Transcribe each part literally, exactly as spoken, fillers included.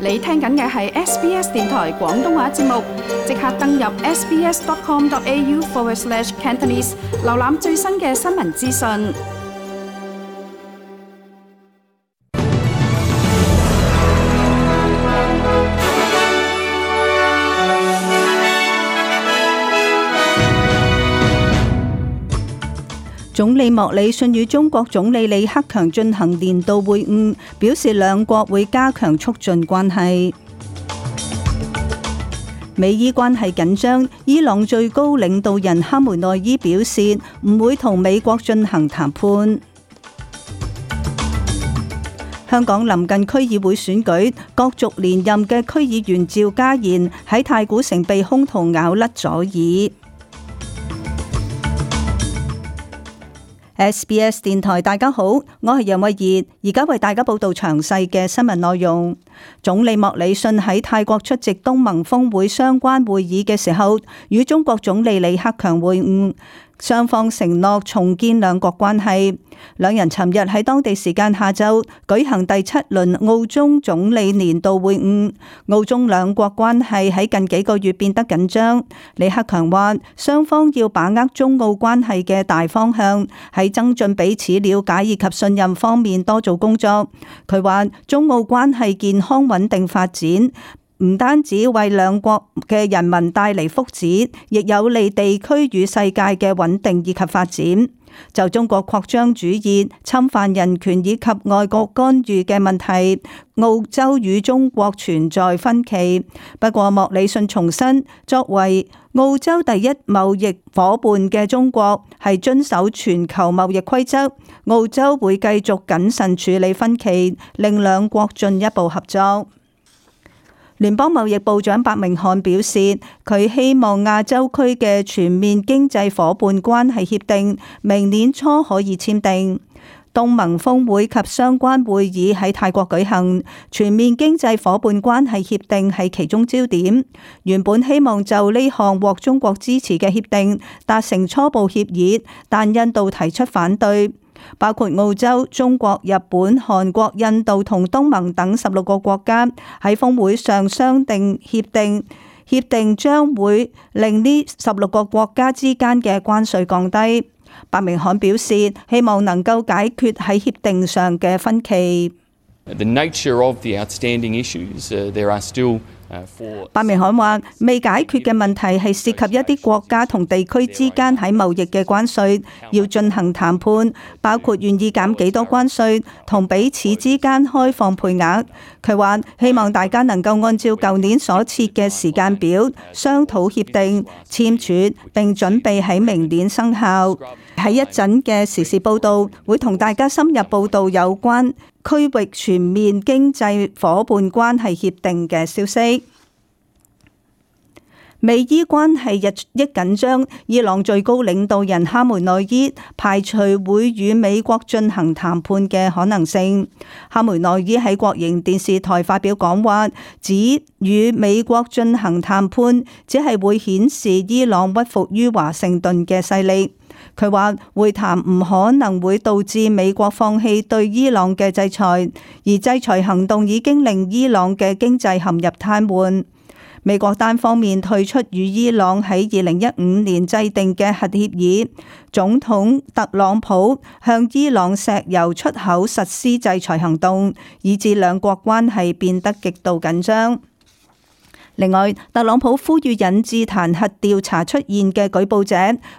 你聽緊嘅係 S B S 電台廣東話節目，即刻登入 sbs.com.au forward slash Cantonese， 瀏覽最新嘅新聞資訊。總理莫里遜與中國總理李克強進行年度會晤，表示兩國會加強促進關係。美伊關係緊張，伊朗最高領導人哈梅內伊表示唔會同美國進行談判。香港臨近區議會選舉，角逐連任嘅區議員趙家賢喺太古城被兇徒咬甩左耳。S B S 電台，大家好，我係楊慧儀，而家為大家報道詳細嘅新聞內容。總理莫里遜喺泰國出席東盟峰會相關會議嘅時候，與中國總理李克強會晤，雙方承諾重建兩國關係。兩人尋日喺當地時間下晝舉行第七輪澳中總理年度會晤。澳中兩國關係喺近幾個月變得緊張。李克強話，雙方要把握中澳關係嘅大方向，喺增進彼此了解以及信任方面多做工作。佢話，中澳關係健康穩定發展，唔單止為兩國嘅人民帶嚟福祉，亦有利地區與世界嘅穩定以及發展。就中國擴張主義、侵犯人權以及外國干預嘅問題，澳洲與中國存在分歧。不過莫里遜重申，作為澳洲第一貿易夥伴嘅中國係遵守全球貿易規則，澳洲會繼續謹慎處理分歧，令兩國進一步合作。聯邦貿易部長白明漢表示，佢希望亞洲區嘅全面經濟夥伴關係協定明年初可以簽訂。東盟峰會及相關會議喺泰國舉行，全面經濟夥伴關係協定係其中焦點。原本希望就呢項獲中國支持嘅協定達成初步協議，但印度提出反對。包括澳洲、中國、日本、韓國、印度同東盟等十六個國家喺峰會上商定協定，協定將會令呢十六個國家之間嘅關稅降低。白明漢表示，希望能夠解決喺協定上嘅分歧。The nature of the outstanding issues, uh, there are still For... 白明漢話，未解決嘅問題係涉及一啲國家同地區之間喺貿易嘅關稅，要進行談判，包括願意減幾多關稅同彼此之間開放配額。佢話希望大家能夠按照舊年所設嘅時間表商討協定、簽署並準備喺明年生效。喺一陣嘅時事報道會同大家深入報道有關區域全面經濟夥伴關係協定嘅消息。美伊關係日益緊張，伊朗最高領導人哈梅內伊排除會與美國進行談判嘅可能性。哈梅內伊喺國營電視台發表講話，指與美國進行談判只係會顯示伊朗屈服於華盛頓嘅勢力。佢話會談唔可能會導致美國放棄對伊朗嘅制裁，而制裁行動已經令伊朗嘅經濟陷入癱瘓。美國單方面退出與伊朗喺二零一五年制定嘅核協議，總統特朗普向伊朗石油出口實施制裁行動，以致兩國關係變得極度緊張。另外，特朗普呼籲引致彈劾調查出現嘅舉報者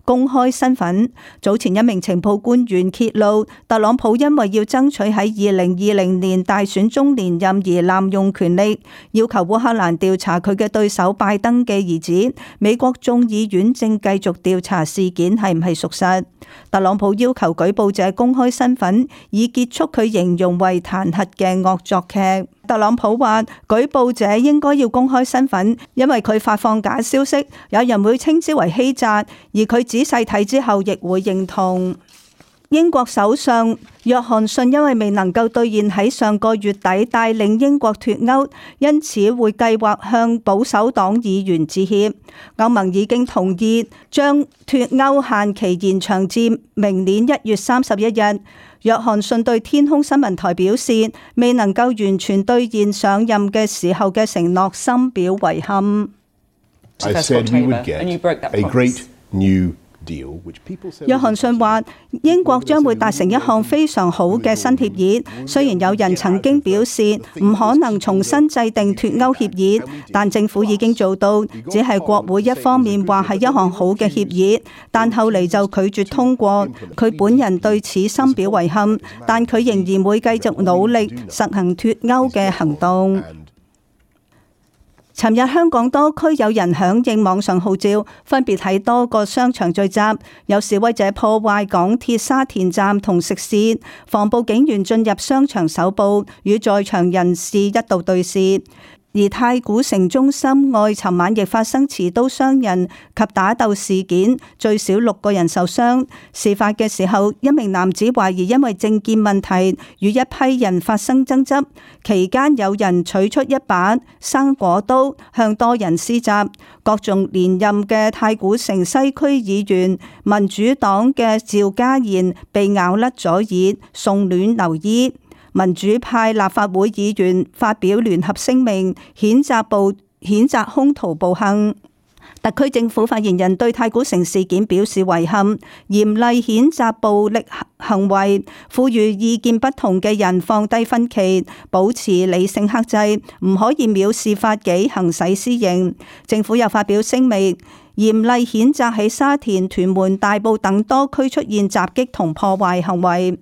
公開身份。早前一名情報官員揭露，特朗普因為要爭取喺二零二零年大選中連任而濫用權力，要求烏克蘭調查佢嘅對手拜登嘅兒子。美國眾議院正繼續調查事件係唔係屬實。特朗普要求舉報者公開身份，以結束佢形容為彈劾嘅惡作劇。特朗普話，舉報者應該要公開身份，因為佢發放假消息，有人會稱之為欺詐，而佢仔細睇之後亦會認同。英國首相約翰遜因為未能夠兌現喺上個月底帶領英國脫歐，因此會計劃向保守黨議員致歉。歐盟已經同意將脫歐限期延長至明年一月三十一日。約翰遜對天空新聞台表示，未能夠完全兌現上任嘅時候嘅承諾，深表遺憾。I said we would get a great new deal, which people said. 約翰遜話：英國將會達成一項非常好嘅新協議。雖然有人曾經表示唔可能重新制定脫歐協議，但政府已經做到，只係國會一方面話係一項好嘅協議，但後嚟就拒絕通過。佢本人對此深表遺憾，但佢仍然會繼續努力實行脫歐嘅行動。尋日香港多區有人響應網上號召，分別喺多個商場聚集，有示威者破壞港鐵沙田站同食肆，防暴警員進入商場搜捕，與在場人士一度對峙。而太古城中心外尋晚亦發生持刀傷人及打鬥事件，最少六個人受傷。事發嘅時候，一名男子懷疑因為政見問題與一批人發生爭執，期間有人取出一把生果刀向多人施襲。各種連任嘅太古城西區議員民主黨嘅趙家賢被咬甩咗耳，送院留醫。民主派立法會議員發表聯合聲明，譴責暴譴責兇徒暴行。特區政府發言人對太古城事件表示遺憾，嚴厲譴責暴力行為，呼籲意見不同嘅人放低分歧，保持理性克制，唔可以藐視法紀，行使私刑。政府又發表聲明，嚴厲譴責喺沙田、屯門、大埔等多區出現襲擊同破壞行為。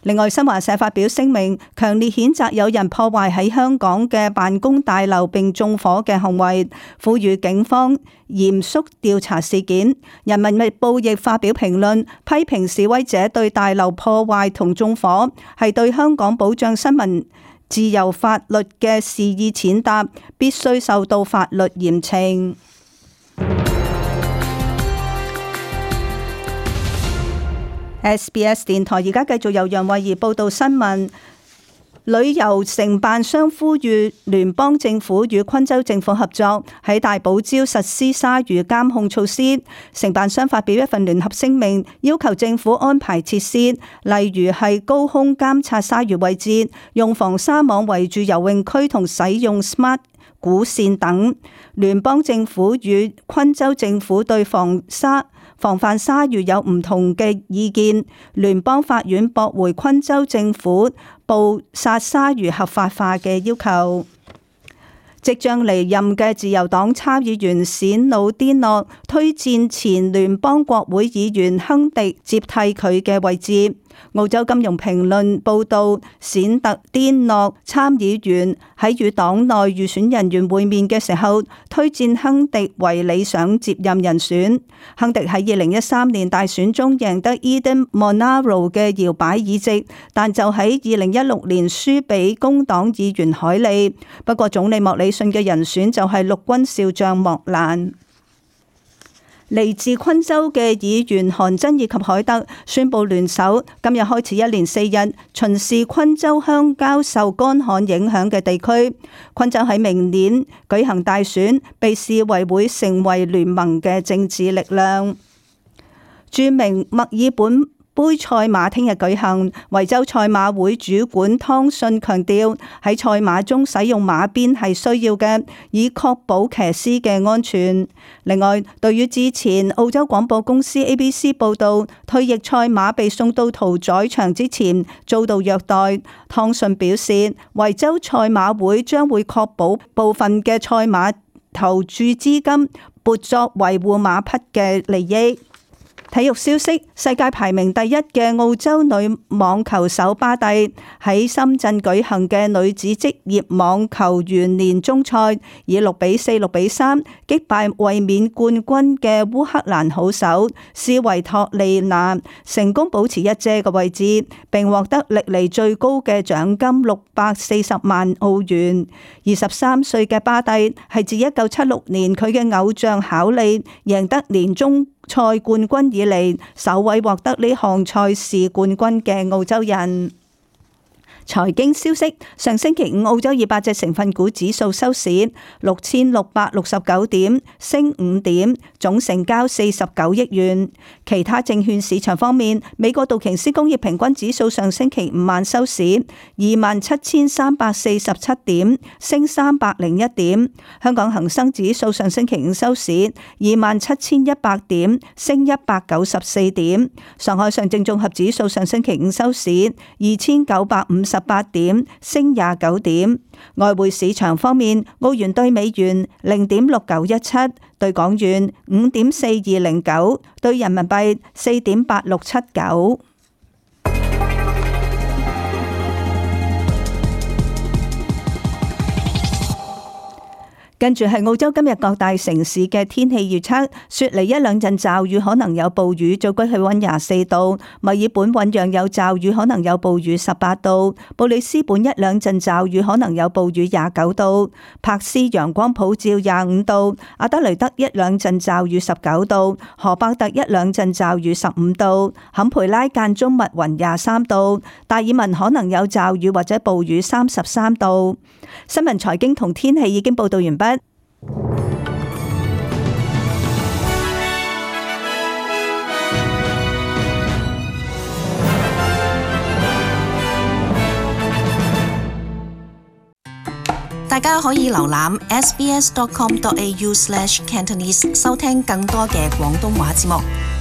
另外，新華社發表聲明，強烈譴責有人破壞喺香港嘅辦公大樓並縱火嘅行為，呼籲警方嚴肅調查事件。人民日報亦發表評論，批評示威者對大樓破壞同縱火係對香港保障新聞自由法律嘅肆意踐踏，必須受到法律嚴懲。S B S 電台而家繼續由楊慧儀報道新聞。旅遊承辦商呼籲聯邦政府與昆州政府合作，喺大堡礁實施鯊魚監控措施。承辦商發表一份聯合聲明，要求政府安排設施，例如係高空監察鯊魚位置、用防鯊網圍住游泳區同使用 smart 鼓線等。聯邦政府與昆州政府對防鯊防範鯊魚有唔同嘅意見，聯邦法院駁回昆州政府捕殺鯊魚合法化嘅要求。即將離任嘅自由黨參議員冼努甸諾推薦前聯邦國會議員亨迪接替佢嘅位置。澳洲金融評論報道，冼特甸諾參議員喺與黨內預選人員會面嘅時候，推薦亨迪為理想接任人選。亨迪喺二零一三年大選中贏得 Eden Monaro 嘅搖擺議席，但就喺二零一六年輸俾工黨議員海利。不過總理莫里遜嘅人選就係陸軍少將莫蘭。嚟自昆州嘅議員韓珍以及海德宣布聯手，今日開始一連四日巡視昆州鄉郊受乾旱影響嘅地區。昆州喺明年舉行大選，被視為會成為聯盟嘅政治力量。著名墨爾本杯賽馬聽日舉行，維州賽馬會主管湯信強調，喺賽馬中使用馬鞭係需要嘅，以確保騎師嘅安全。另外，對於之前澳洲廣播公司 A B C 報道退役賽馬被送到屠宰場之前遭到虐待，湯信表示，維州賽馬會將會確保部分嘅賽馬投注資金撥作維護馬匹嘅利益。體育消息，世界排名第一嘅澳洲女網球手巴蒂喺深圳舉行嘅女子職業網球員年終賽，以六比四、六比三擊敗衛冕冠軍嘅烏克蘭好手斯維托利娜，成功保持一姐嘅位置，並獲得歷嚟最高嘅獎金六百四十萬澳元。二十三歲嘅巴蒂係自一九七六年佢嘅偶像考利贏得年終賽冠軍以嚟首位獲得呢項賽事冠軍嘅澳洲人。財經消息，上星期五澳洲二百隻成分股指數收市六千六百六十九點，升五點，總成交四十九億元。其他證券市場方面，美國道瓊斯工業平均指數上星期五晚收市二萬七千三百四十七點，升三百零一點。香港恒生指數上星期五收市二萬七千一百點，升一百九十四點。上海上證綜合指數上星期五收市二千九百五十十八點，升廿九點。外匯市場方面，澳元兌美元零點六九一七，兌港元五點四二零九，兌人民幣四點八六七九。跟住係澳洲今日各大城市嘅天氣預測，雪梨一兩陣驟雨，可能有暴雨，最高氣溫廿四度；墨爾本醞釀有驟雨，可能有暴雨，十八度；布里斯本一兩陣驟雨，可能有暴雨，廿九度；柏斯陽光普照，廿五度；阿德雷德一兩陣驟雨，十九度；荷伯特一兩陣驟雨，十五度；坎培拉間中密雲，廿三度；達爾文可能有驟雨或者暴雨，三十三度。新聞財經同天氣已經報道完畢。大家可以瀏覽 s b s dot com dot a u slash cantonese 收聽更多嘅廣東話節目。